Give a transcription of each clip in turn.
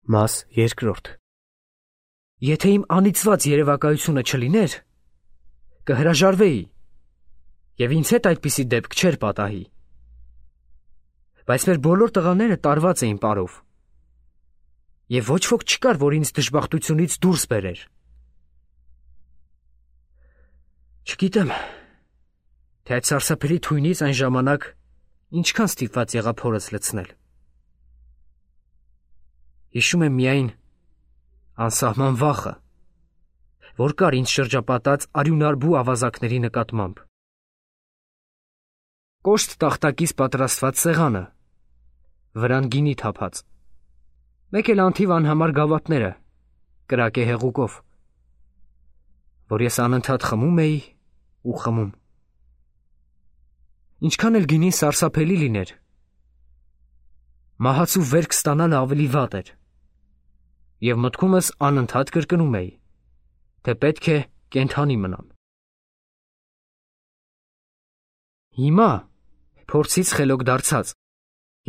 Մաս երկրորդ։ Եթե իմ անիծված երևակայությունը չլիներ, կհրաժարվեի, և ինձ հետ այդպիսի դեպք չէր պատահի։ Բայց մեր բոլոր տղաները տարված էին պարով, և ոչ ոք չկար, որ ինձ դժբախտությունից դուրս բերեր։ Չգիտեմ, թե այդ սարսափելի թույնից այն ժամանակ ինչքան ստիպված եղա փորս լցնել։ Հիշում եմ միայն անսահման վախը, որ կար ինձ շրջապատած արյունարբու ավազակների նկատմամբ։ Կոշտ տախտակից պատրաստված սեղանը, վրան գինի թափած, մեկ էլ անթիվ անհամար գավաթները, կրակե հեղուկով, որ ես անընդհատ խմում էի ու խմում։ Ինչքան էլ գինին սարսափելի լիներ, մահացու վերք ստանալը ավելի վատ էր, և մտքումս անընդհատ կրկնում էի, թե պետք է կենդանի մնամ։ Հիմա, փորձից խելոք դարձած,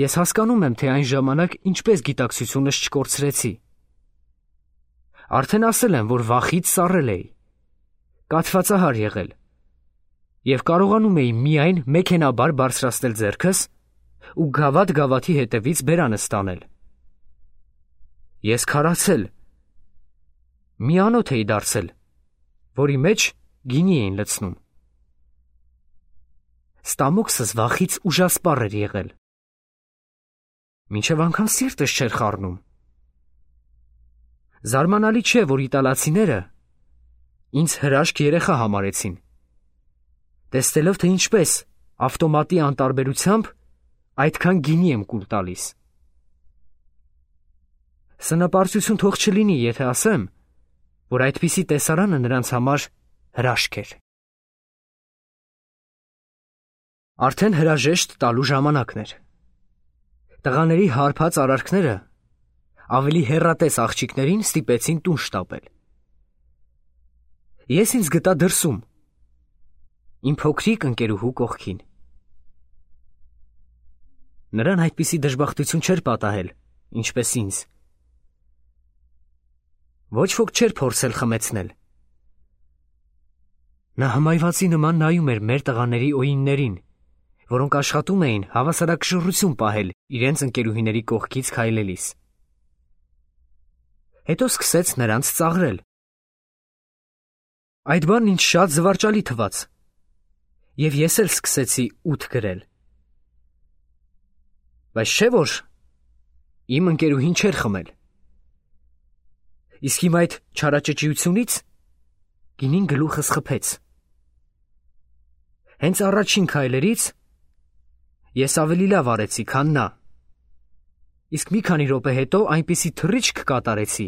ես հասկանում եմ, թե այն ժամանակ ինչպես գիտակցությունս չկորցրեցի։ Արդեն ասել եմ, որ վախից սառել էի, կաթվածահար եղել, և կարողանում էի միայն մեքենաբար բարձրացնել ձեռքս ու գավաթ-գավաթի հետևից բերանս տանել։ Ես քարացել, մի անոթ էի դարձել, որի մեջ գինի էին լցնում։ Ստամոքսս վախից ուժասպառ էր եղել, մինչև անգամ սիրտս չէր խառնում։ Զարմանալի չէ, որ իտալացիները ինձ հրաշք երեխա համարեցին, տեսնելով, թե ինչպես ավտոմատի անտարբերությամբ այդքան գինի եմ կուլ տալիս։ Սնապարծություն թող չլինի, եթե ասեմ, որ այդպիսի տեսարանը նրանց համար հրաշք էր։ Արդեն հրաժեշտ տալու ժամանակն էր։ Տղաների հարբած արարքները ավելի հեռատես աղջիկներին ստիպեցին տուն շտապել։ Ես ինձ գտա դրսում, իմ փոքրիկ ընկերուհու կողքին։ Նրան այդպիսի դժբախտություն չէր պատահել, ինչպես ինձ։ Ոչ ոք չէր փորձել խմեցնել։ Նա հմայվածի նման նայում էր մեր տղաների օիններին, որոնք աշխատում էին հավասարակշռություն պահել իրենց ընկերուհիների կողքից քայլելիս։ Հետո սկսեց նրանց ծաղրել։ Այդ բանն ինձ շատ զվարճալի թվաց, և ես էլ սկսեցի ութ գրել։ Բայց չէ՞ որ իմ ընկերուհին չէր խմել։ Իսկ իմ այդ չարաճճիությունից գինին գլուխս խփեց։ Հենց առաջին քայլերից ես ավելի լավ արեցի, քան նա, իսկ մի քանի րոպե հետո այնպիսի թռիչք կատարեցի,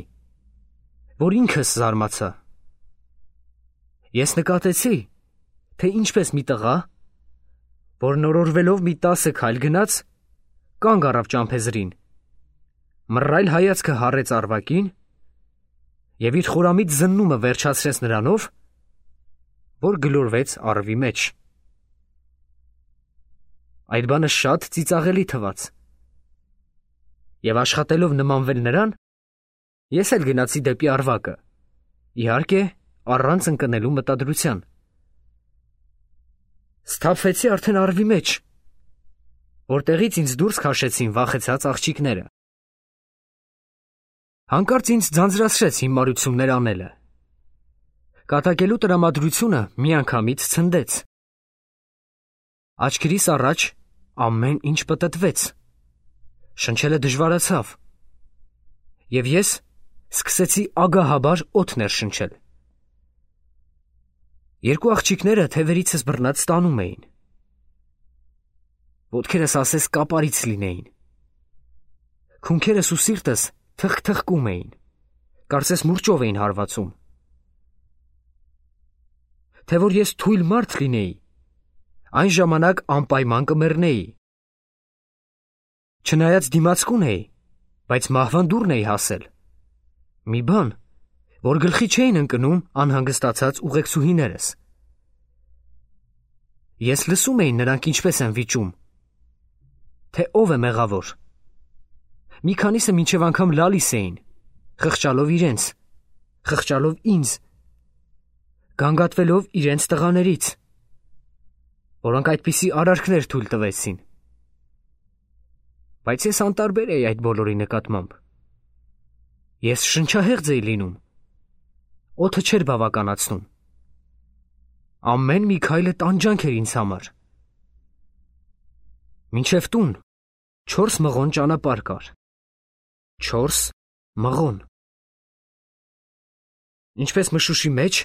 որ ինքս զարմացա։ Ես նկատեցի, թե ինչպես մի տղա, որ նորորվելով մի 10 քայլ գնաց, կանգ առավ ճամփեզրին, մռայլ հայացքը հառեց Արվակին և իր խորամիտ զննումը վերջացրեց նրանով, որ գլորվեց առվի մեջ։ Այդ բանը շատ ծիծաղելի թվաց, և աշխատելով նմանվել նրան, ես էլ գնացի դեպի Արվակը, իհարկե, առանց ընկնելու մտադրության։ Սթափվեցի արդեն առվի մեջ, որտեղից ինձ դուրս քաշեցին վախեցած աղջիկները։ Հանկարծ ինձ ձանձրացրեց հիմարություններ անելը։ Կատակելու տրամադրությունը միանգամից ցնդեց։ Աչքերիս առաջ ամեն ինչ պտտվեց, շնչելը դժվարացավ, և ես սկսեցի ագահաբար օդ ներշնչել։ Երկու աղջիկները թևերիցս բռնած տանում էին։ Ոտքերս ասես կապարից լինեին։ Քունքերս ու սիրտս թխկթխկում էին, կարծես մուրճով էին հարվածում։ Թե որ ես թույլ մարդ լինեի, այն ժամանակ անպայման կմեռնեի։ Չնայած դիմացկուն էի, բայց մահվան դուռն էի հասել։ Մի բան, որ գլխի չէին ընկնում անհանգստացած ուղեկցուհիներս։ Ես լսում էի նրանք ինչպես են վիճում, թե ով է մեղավոր, Մի քանիսը մինչև անգամ լալիս էին, խղճալով իրենց, խղճալով ինձ, գանգատվելով իրենց տղաներից, որոնք այդպիսի արարքներ թույլ տվեցին։ Բայց ես անտարբեր էի այդ բոլորի նկատմամբ։ Ես շնչահեղձ էի լինում, օդը չէր բավականացնում։ Ամեն մի քայլը տանջանք էր ինձ համար։ Մինչև տուն 4 մղոն ճանապարհ կար։ 4 մղոն։ Ինչպես մշուշի մեջ,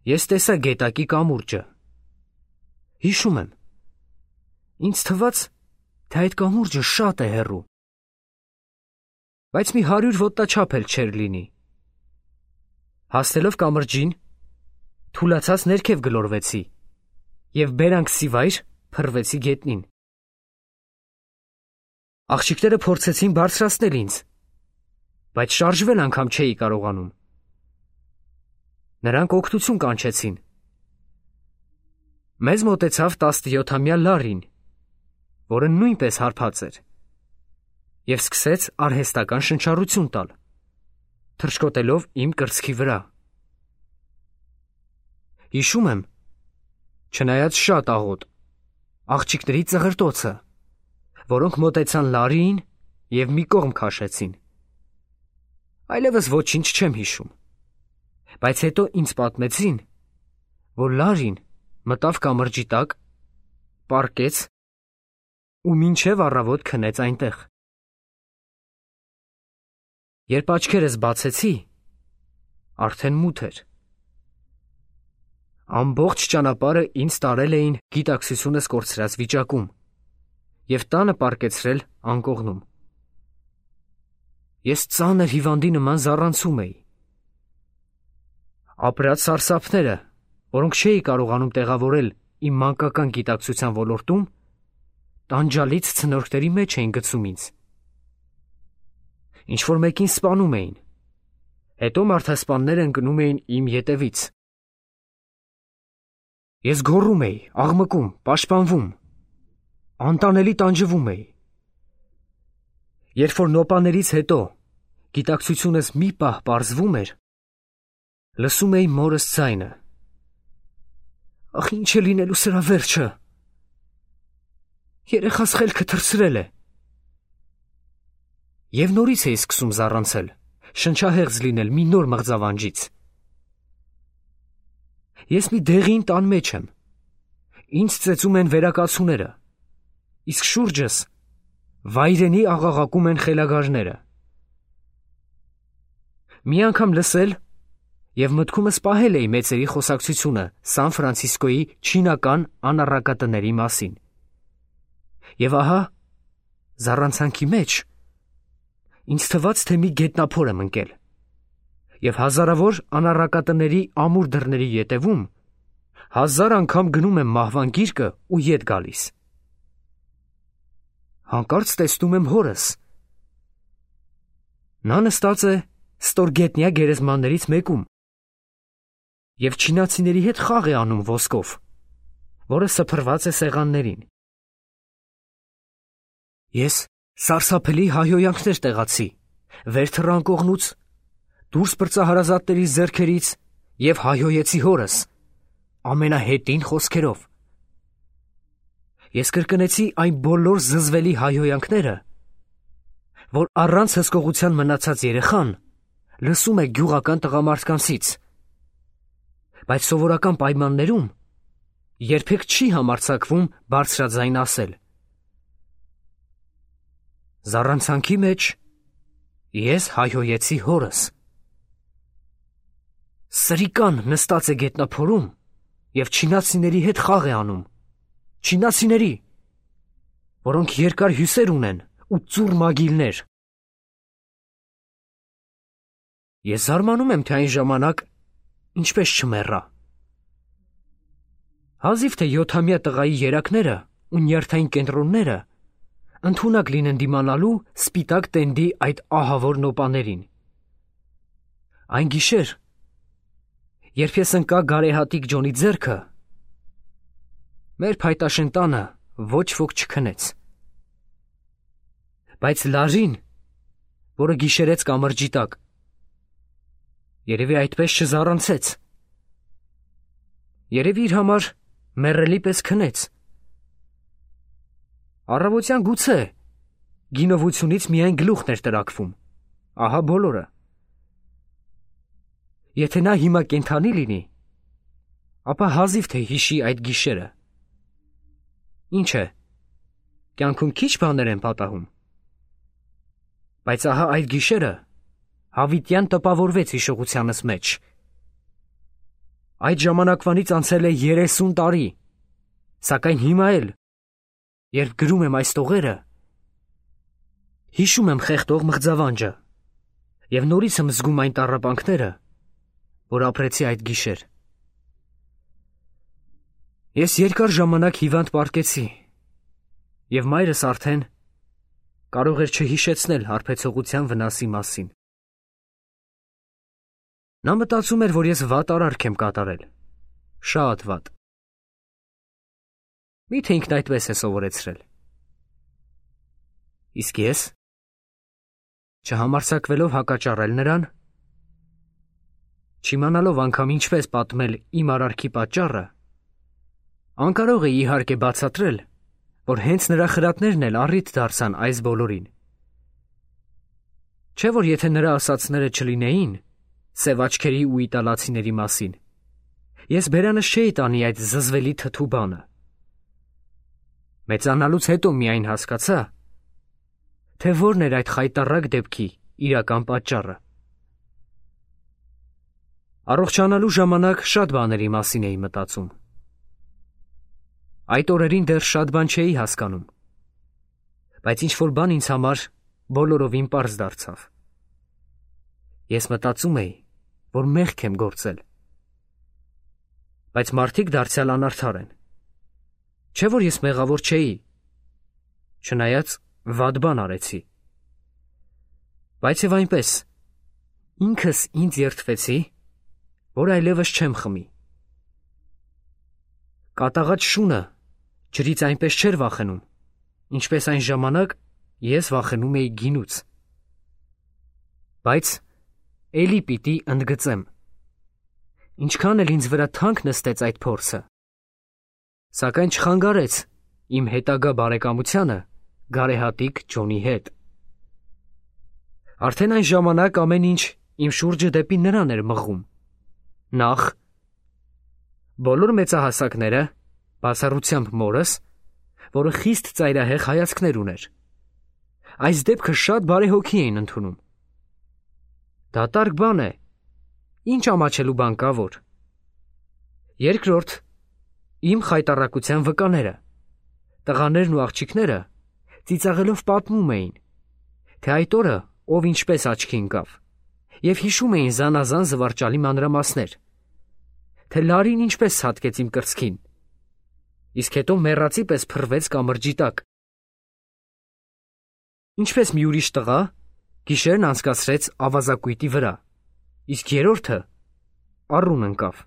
ես տեսա գետակի կամուրջը։ Հիշում եմ, ինձ թվաց, թե այդ կամուրջը շատ է հեռու, բայց մի 100 ոտնաչափ էլ չէր լինի։ Հասնելով կամրջին, թուլացած ներքև գլորվեցի և բերանքսիվայր փռվեցի գետնին։ Աղջիկները փորձեցին բարձրացնել ինձ, բայց շարժվել անգամ չէի կարողանում։ Նրանք օգնություն կանչեցին։ Մեզ մոտեցավ 17-ամյա Լարին, որը նույնպես հարբած էր, և սկսեց արհեստական շնչառություն տալ, թռչկոտելով իմ կրծքի վրա։ Հիշում եմ, չնայած շատ աղոտ, աղջիկների ծղրտոցը, որոնք մոտեցան Լարիին և մի կողմ քաշեցին։ Այլևս ոչինչ չեմ հիշում, բայց հետո ինձ պատմեցին, որ Լարին մտավ կամրջի տակ, պառկեց ու մինչև առավոտ քնեց այնտեղ։ Երբ աչքերս բացեցի, արդեն մութ էր։ Ամբողջ ճանապարհը ինձ տարել էին գիտակցությունս կորցրած վիճակում և տանը պառկեցրել անկողնում։ Ես ծանր հիվանդի նման զառանցում էի։ Ապրած սարսափները, որոնք չէի կարողանում տեղավորել իմ մանկական գիտակցության ոլորտում, տանջալից ցնորքների մեջ էին գցում ինձ։ Ինչ-որ մեկին սպանում էին, հետո մարդասպանները ընկնում էին իմ ետևից։ Ես գոռում էի, աղմկում, պաշտպանվում, անտանելի տանջվում էի։ Երբ որ նոպաներից հետո գիտակցությունս մի պահ պարզվում էր, լսում էի մորս ձայնը. «Ախ, ինչ է լինելու սրա վերջը, երեխաս խելքը թռցրել է»։ Եվ նորից էի սկսում զառանցել, շնչահեղձ լինել մի նոր մղձավանջից։ Ես մի դեղին տան մեջ եմ, ինձ ծեծում են վերակացուները, իսկ շուրջս վայրենի աղաղակում են խելագարները։ Մի անգամ լսել և մտքումս պահել էի մեծերի խոսակցությունը Սան Ֆրանցիսկոյի չինական անառակատների մասին։ Եվ ահա, զառանցանքի մեջ, ինձ թվաց, թե մի գետնափոր եմ ընկել, և հազարավոր անառակատների ամուր դռների ետևում 1000 անգամ գնում եմ մահվան գիրկը ու ետ գալիս։ Հանկարծ տեսնում եմ հորս։ Նա նստած է ստորգետնյա գերեզմաններից մեկում և չինացիների հետ խաղ է անում ոսկով, որը սփռված է սեղաններին։ Ես սարսափելի հայհոյանքներ տեղացի վեր թռան կողմուց, դուրս պրծա հարազատների ձեռքերից և հայհոյեցի հորս ամենահետին խոսքերով։ Ես կրկնեցի այն բոլոր զզվելի հայհոյանքները, որ առանց հսկողության մնացած երեխան լսում է գյուղական տղամարդկանցից, բայց սովորական պայմաններում երբեք չի համարձակվում բարձրաձայն ասել։ Զառանցանքի մեջ ես հայհոյեցի հորս. «Սրիկան նստած է գետնափորում և չինացիների հետ խաղ է անում, չինացիների, որոնք երկար հյուսեր ունեն ու ծուռ մագիլներ»։ Ես զարմանում եմ, թե այն ժամանակ ինչպես չմեռա։ Հազիվ թե 7-ամյա տղայի երակները ու նյարդային կենտրոնները ընդունակ լինեն դիմանալու սպիտակ տենդի այդ ահավոր նոպաներին։ Այն գիշեր, երբ ես ընկա գարեհատիկ Ջոնի ձեռքը, մեր փայտաշեն տանը ոչ ոք չքնեց։ Բայց Լարին որը գիշերեց կամրջի տակ։ Երևի այդպես չզառանցեց։ Երևի իր համար մեռելի պես քնեց։ Առավոտյան գուցե գինովությունից միայն գլուխն էր տրաքվում, ահա բոլորը։ Եթե նա հիմա կենդանի լինի, ապա հազիվ թե հիշի այդ գիշերը։ Ինչ է, կյանքում քիչ բաներ են պատահում։ Բայց ահա այդ գիշերը հավիտյան տպավորվեց հիշողությանս մեջ։ Այդ ժամանակվանից անցել է 30 տարի, սակայն հիմա էլ, երբ գրում եմ այս տողերը, հիշում եմ խեղդող մղձավանջը և նորից եմ զգում այն տառապանքները, որ ապրեցի այդ գիշեր։ Ես երկար ժամանակ հիվանդ պառկեցի, և մայրս արդեն կարող էր չհիշեցնել հարբեցողության վնասի մասին։ Նա մտածում էր, որ ես վատ արարք եմ կատարել, շատ վատ։ Միթե ինքն այդպես է սովորեցրել։ Իսկ ես, չհամարձակվելով հակաճառել նրան, չիմանալով անգամ ինչպես պատմել իմ արարքի պատճառը, անկարող էի իհարկե բացատրել, որ հենց նրա խրատներն էլ առիթ դարձան այս բոլորին։ Չէ՞ որ եթե նրա ասածները չլինեին սև աչքերի ու իտալացիների մասին, ես բերանս չէի տանի այդ զզվելի թթու բանը։ Մեծանալուց հետո միայն հասկացա, թե որն էր այդ խայտառակ դեպքի իրական պատճառը։ Առողջանալու ժամանակ շատ բաների մասին էի մտածում։ Այդ օրերին դեռ շատ բան չէի հասկանում, բայց ինչ-որ բան ինձ համար բոլորովին պարզ դարձավ։ Ես մտածում էի, որ մեղք եմ գործել։ Բայց մարդիկ դարձյալ անարդար են։ Չէ՞ որ ես մեղավոր չէի, չնայած վատ բան արեցի։ Բայց և այնպես, ինքս ինձ երդվեցի, որ այլևս չեմ խմի։ Կատաղած շունը ջրից այնպես չէր վախենում, ինչպես այն ժամանակ ես վախենում էի գինուց։ Բայց էլի պիտի ընդգծեմ, ինչքան էլ ինձ վրա թանկ նստեց այդ փորձը, սակայն չխանգարեց իմ հետագա բարեկամությանը գարեհատիկ Ջոնի հետ։ Արդեն այն ժամանակ ամեն ինչ իմ շուրջը դեպի նրան էր մղում։ Նախ, բոլոր մեծահասակները, բացառությամբ մորս, որը խիստ ծայրահեղ հայացքներ ուներ, այս դեպքը շատ բարեհոգի էին ընդունում։ Դատարկ բան է, ինչ ամաչելու բան կա որ։ Երկրորդ, իմ խայտառակության վկաները, տղաներն ու աղջիկները ծիծաղելով պատմում էին, թե այդ օրը ով ինչպես աչքի ընկավ, և հիշում էին զանազան զվարճալի մանրամասներ, թե Լարին ինչպես ցատկեց իմ կրծքին, իսկ հետո մեռածի պես փռվեց կամրջի տակ։ Ինչպես մի ուրիշ տղա գիշերն անցկացրեց ավազակույտի վրա, իսկ երրորդը առուն ընկավ։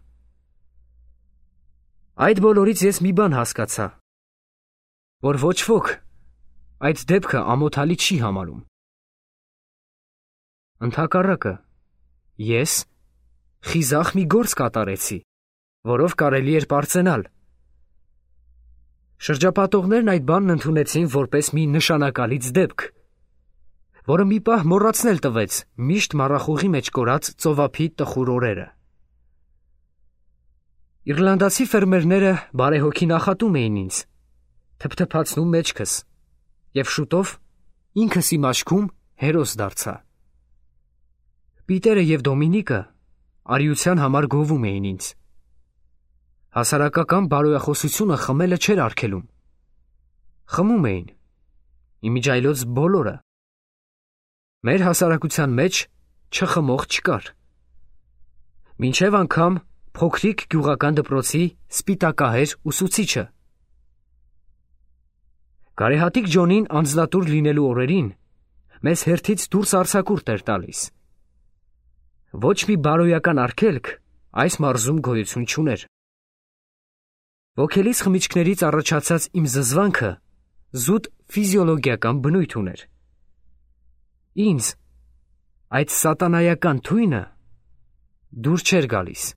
Այդ բոլորից ես մի բան հասկացա, որ ոչ ոք այդ դեպքը ամոթալի չի համարում։ Ընդհակառակը, ես խիզախ մի գործ կատարեցի, որով կարելի էր պարծենալ։ Շրջապատողներն այդ բանն ընդունեցին որպես մի նշանակալից դեպք, որը մի պահ մոռացնել տվեց միշտ մառախուղի մեջ կորած ծովափի տխուր օրերը։ Իռլանդացի ֆերմերները բարեհոգի նախատում էին ինձ, թփթփացնում մեջքս, և շուտով ինքս իմ աչքում հերոս դարձա։ Պիտերը և Դոմինիկը արիության համար գովում էին ինձ։ Հասարակական բարոյախոսությունը խմելը չէր արգելում։ Խմում էին, իմիջայլոց բոլորը։ Մեր հասարակության մեջ չխմող չկար։ Մինչև անգամ փոքրիկ գյուղական դպրոցի սպիտակահեր ուսուցիչը։ Գարեհատիկ Ջոնին անձնատուր լինելու օրերին մեզ հերթից դուրս արձակուրդ էր տալիս։ Ոչ մի բարոյական արգելք այս մարզում գոյություն չուներ։ Ոգելից խմիչքներից առաջացած իմ զզվանքը զուտ ֆիզիոլոգիական բնույթ ուներ։ Ինձ, այդ սատանայական թույնը դուր չէր գալիս։